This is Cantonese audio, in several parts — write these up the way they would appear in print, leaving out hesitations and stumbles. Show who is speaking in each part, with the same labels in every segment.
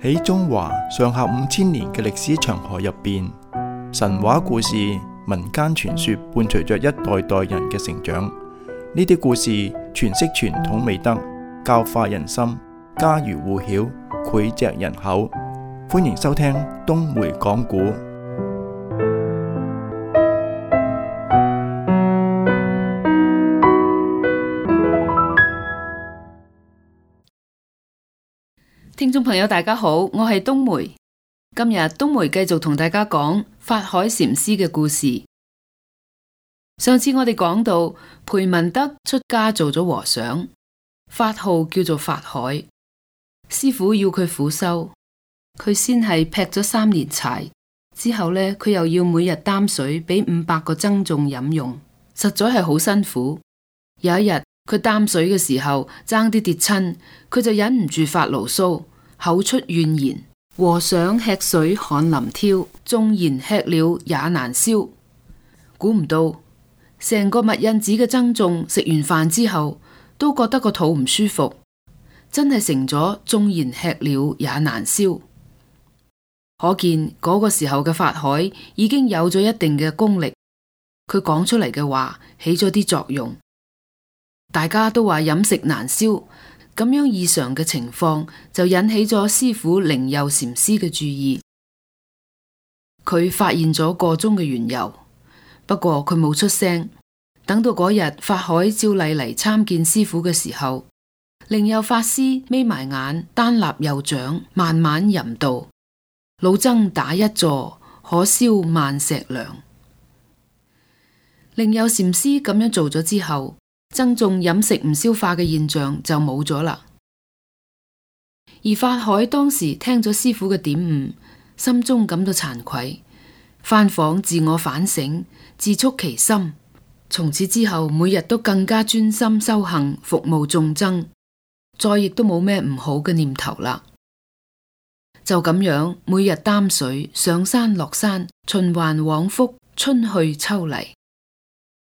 Speaker 1: 喺中華上下5000年嘅歷史長河入邊，神話故事、民間傳說伴隨着一代代人嘅成長。呢啲故事詮釋傳統美德，教化人心，家喻戶曉，膾炙人口。歡迎收聽東梅講古。
Speaker 2: 聽眾朋友大家好，我係東梅。今日東梅繼續同大家講法海禪師嘅故事。上次我哋講到裴文德出家做咗和尚，法號叫做法海。師父要佢苦修，佢先係劈咗3年柴，之後呢，佢又要每日擔水俾500個僧眾飲用，實在係好辛苦。有一日佢擔水嘅時候爭啲跌親，佢就忍唔住發牢騷，口出怨言：和尚吃水汗淋挑，縱然吃了也難消。估唔到成個密印寺嘅僧眾食完飯之後都覺得個肚唔舒服，真係成咗縱然吃了也難消。可見嗰個時候嘅法海已經有咗一定嘅功力，佢講出嚟嘅話起咗啲作用。大家都話飲食難消，咁樣異常嘅情況就引起咗師父靈佑禪師嘅注意。佢發現咗個中嘅緣由，不過佢冇出聲。等到嗰日法海照例嚟參見師父嘅時候，靈佑法師眯埋眼，單立右掌，慢慢吟道：老僧打一坐，可消萬石糧。靈佑禪師咁樣做咗之後，僧眾飲食唔消化嘅現象就冇咗啦。而法海當時聽咗師父嘅點悟，心中感到慚愧，翻訪自我反省，自觸其心。從此之後，每日都更加專心修行，服務眾僧，再亦都冇咩唔好嘅念頭啦。就咁樣，每日擔水上山落山，循環往復，春去秋嚟。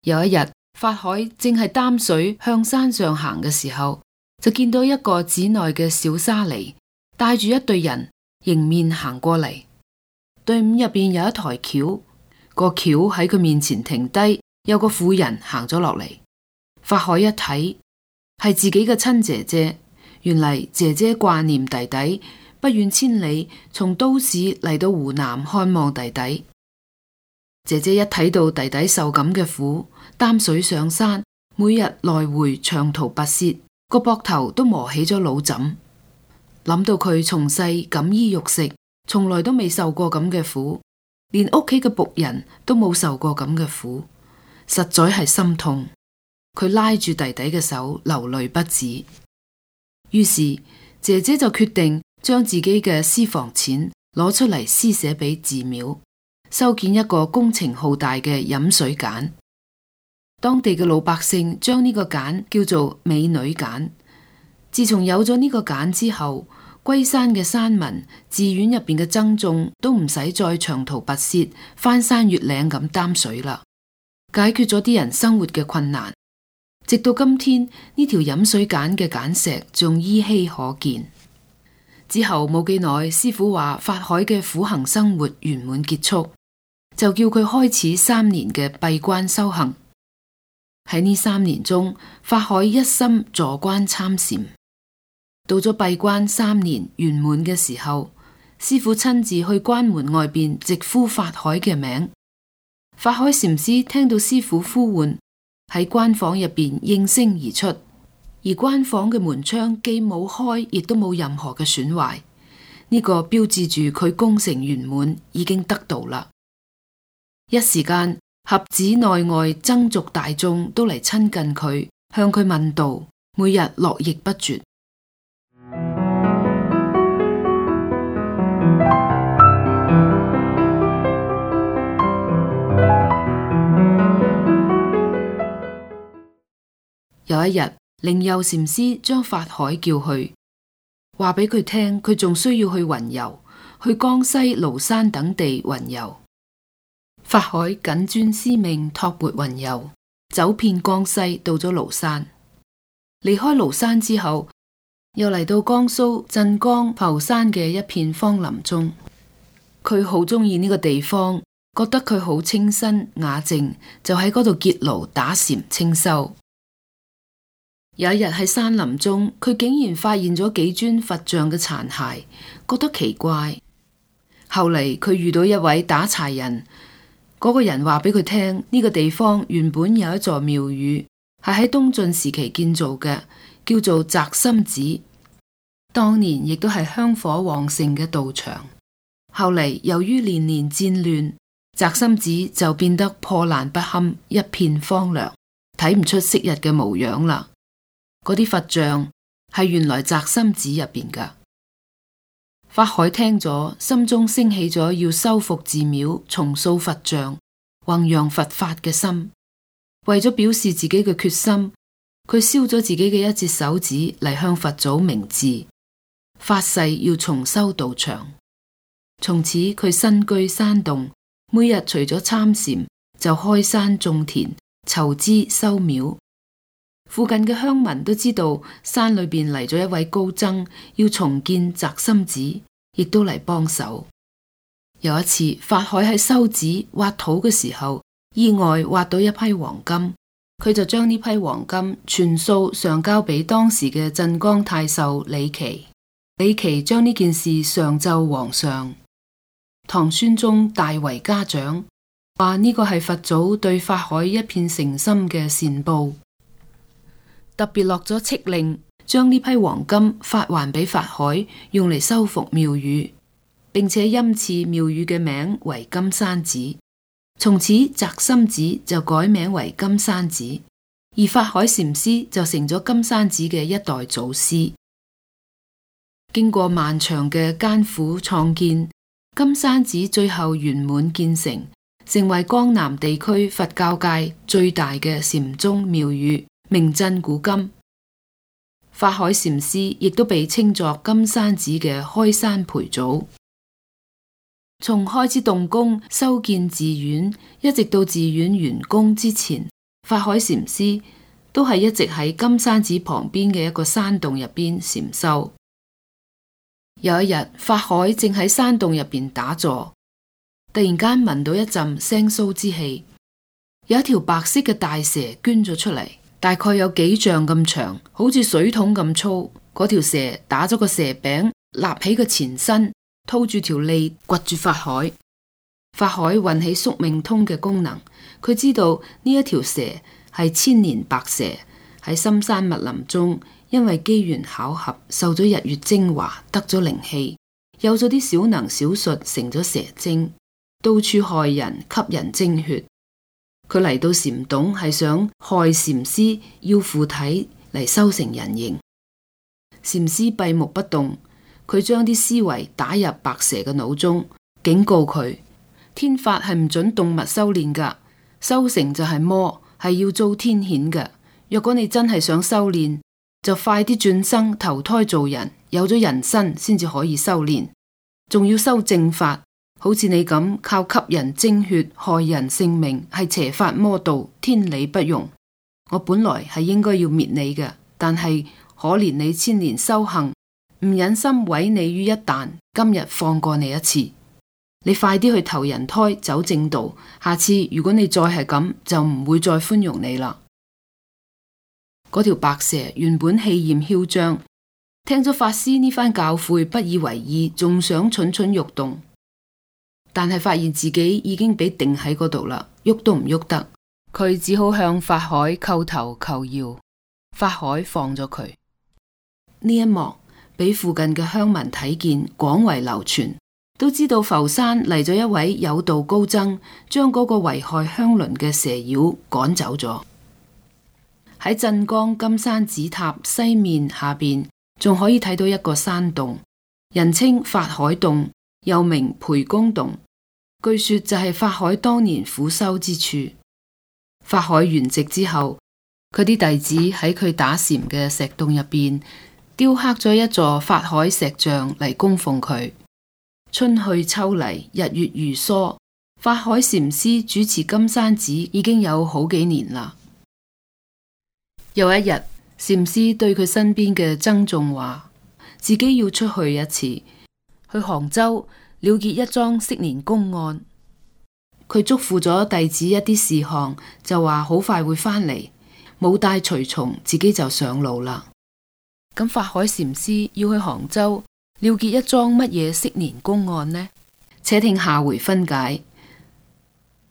Speaker 2: 有一日，法海正係擔水向山上行嘅時候，就見到一個寺內嘅小沙彌帶住一隊人迎面行過嚟。隊伍入邊有一台轎，個轎喺佢面前停低，有個婦人行咗落嚟。法海一睇係自己嘅親姐姐，原嚟姐姐掛念弟弟，不遠千里從都市嚟到湖南看望弟弟。姐姐一睇到弟弟受咁嘅苦，擔水上山，每日來回長途跋涉，個膊頭都磨起咗腦枕。諗到佢從細錦衣玉食，從來都未受過咁嘅苦，連屋企嘅僕人都冇受過咁嘅苦，實在係心痛。佢拉住弟弟嘅手，流淚不止。於是姐姐就決定將自己嘅私房錢攞出嚟施捨俾寺廟，修建一個工程浩大嘅飲水澗。當地嘅老百姓將呢個澗叫做美女澗。自從有咗呢個澗之後，龜山嘅山民、寺院入邊嘅僧眾都唔使再長途跋涉、翻山越嶺咁擔水啦，解決咗啲人生活嘅困難。直到今天，呢條飲水澗嘅澗石仲依稀可見。之後冇幾耐，師父話法海嘅苦行生活圓滿結束，就叫佢開始3年嘅閉關修行。喺呢3年中，法海一心坐關參禪。到咗閉關3年圓滿嘅時候，師父親自去關門外邊直呼法海嘅名。法海禪師聽到師父呼喚，喺關房入邊應聲而出，而關房嘅門窗既冇開，亦都冇任何嘅損壞。呢個標誌住佢功成圓滿，已經得道啦。一時間，合寺內外僧俗大眾都嚟親近佢，向佢問道，每日絡繹不絕。有一日，靈佑禪師將法海叫去，話俾佢聽，佢仲需要去雲遊，去江西廬山等地雲遊。法海謹遵師命，托缽雲遊，走遍江西，到咗廬山。離開廬山之後，又嚟到江蘇鎮江浮山嘅一片荒林中，佢好鍾意呢個地方，覺得佢好清新雅靜，就喺嗰度結廬打禪清修。有一日喺山林中，佢竟然發現咗幾尊佛像嘅殘骸，覺得奇怪。後嚟佢遇到一位打柴人，嗰個人話俾佢聽，呢個地方原本有一座廟宇，係喺東晉時期建造嘅，叫做宅心寺。當年亦都係香火旺盛嘅道場。後嚟由於年年戰亂，宅心寺就變得破爛不堪，一片荒涼，睇唔出昔日嘅模樣啦。嗰啲佛像係原來宅心寺入邊噶。法海聽咗，心中升起咗要修復寺廟、重塑佛像、弘揚佛法嘅心。為咗表示自己嘅決心，佢燒咗自己嘅一截手指嚟向佛祖明志，發誓要重修道場。從此佢身居山洞，每日除咗參禪，就開山種田、籌資修廟。附近嘅鄉民都知道山裏邊嚟咗一位高僧，要重建宅心寺，亦都嚟幫手。有一次，法海喺修寺挖土嘅時候，意外挖到一批黃金，佢就將呢批黃金全數上交俾當時嘅鎮江太守李琦。李琦將呢件事上奏皇上，唐宣宗大為嘉獎，話呢個係佛祖對法海一片誠心嘅善報。特別落咗敕令，將呢批黃金發還俾法海，用嚟修復廟宇，並且欽賜廟宇嘅名為金山寺。從此宅心寺就改名為金山寺，而法海禪師就成咗金山寺嘅一代祖師。經過漫長嘅艱苦創建，金山寺最後圓滿建成，成為江南地區佛教界最大嘅禪宗廟宇，名震古今。法海禪師亦都被稱作金山寺嘅開山培祖。從開始動工修建寺院，一直到寺院完工之前，法海禪師都係一直喺金山寺旁邊嘅一個山洞入邊禪修。有一日，法海正喺山洞入邊打坐，突然間聞到一陣腥臊之氣，有一條白色嘅大蛇捐咗出嚟，大概有幾丈咁長，好似水桶咁粗。嗰條蛇打咗個蛇餅，立起個前身，掏住條脷掘住法海。法海運起宿命通嘅功能，佢知道呢一條蛇係千年白蛇，喺深山密林中，因為機緣巧合受咗日月精華，得咗靈氣，有咗啲小能小術，成咗蛇精，到處害人，吸人精血。佢嚟到禪洞係想害禪師，要附體嚟修成人形。禪師閉目不動，佢將啲思維打入白蛇嘅腦中，警告佢：天法係唔准動物修煉噶，修成就係魔，係要遭天譴嘅。若果你真係想修煉，就快啲轉生投胎做人，有咗人身先至可以修煉，仲要修正法。好似你咁靠吸人精血害人性命，係邪法魔道，天理不容。我本來係應該要滅你嘅，但係可憐你千年修行，唔忍心毀你於一旦，今日放過你一次。你快啲去投人胎走正道，下次如果你再係咁，就唔會再寬容你啦。嗰條白蛇原本氣焰囂張，聽咗法師呢番教誨，不以為意，仲想蠢蠢欲動。但係發現自己已經俾定喺嗰度啦，喐都唔喐得，佢只好向法海叩頭求饒。法海放咗佢。呢一幕俾附近嘅鄉民睇見，廣為流傳，都知道浮山嚟咗一位有道高僧，將嗰個危害鄉鄰嘅蛇妖趕走咗。喺鎮江金山寺塔西面下邊，仲可以睇到一個山洞，人稱法海洞，又名培公洞。據說就係法海當年苦修之處。法海圓寂之後，佢啲弟子喺佢打禪嘅石洞入邊雕刻咗一座法海石像嚟供奉佢。春去秋嚟，日月如梭，法海禪師主持金山寺已經有好幾年啦。有一日，禪師對佢身邊嘅僧眾話：自己要出去一次，去杭州了結一樁昔年公案。佢囑咐咗弟子一啲事項，就話好快會返嚟，冇帶隨從，自己就上路啦。咁法海禪師要去杭州了結一樁乜嘢昔年公案呢？且聽下回分解。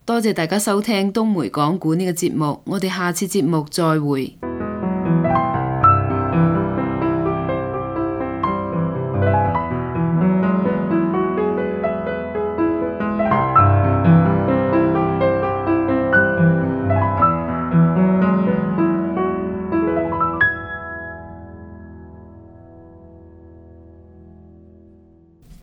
Speaker 2: 多謝大家收聽東梅講古呢個節目，我哋下次節目再會。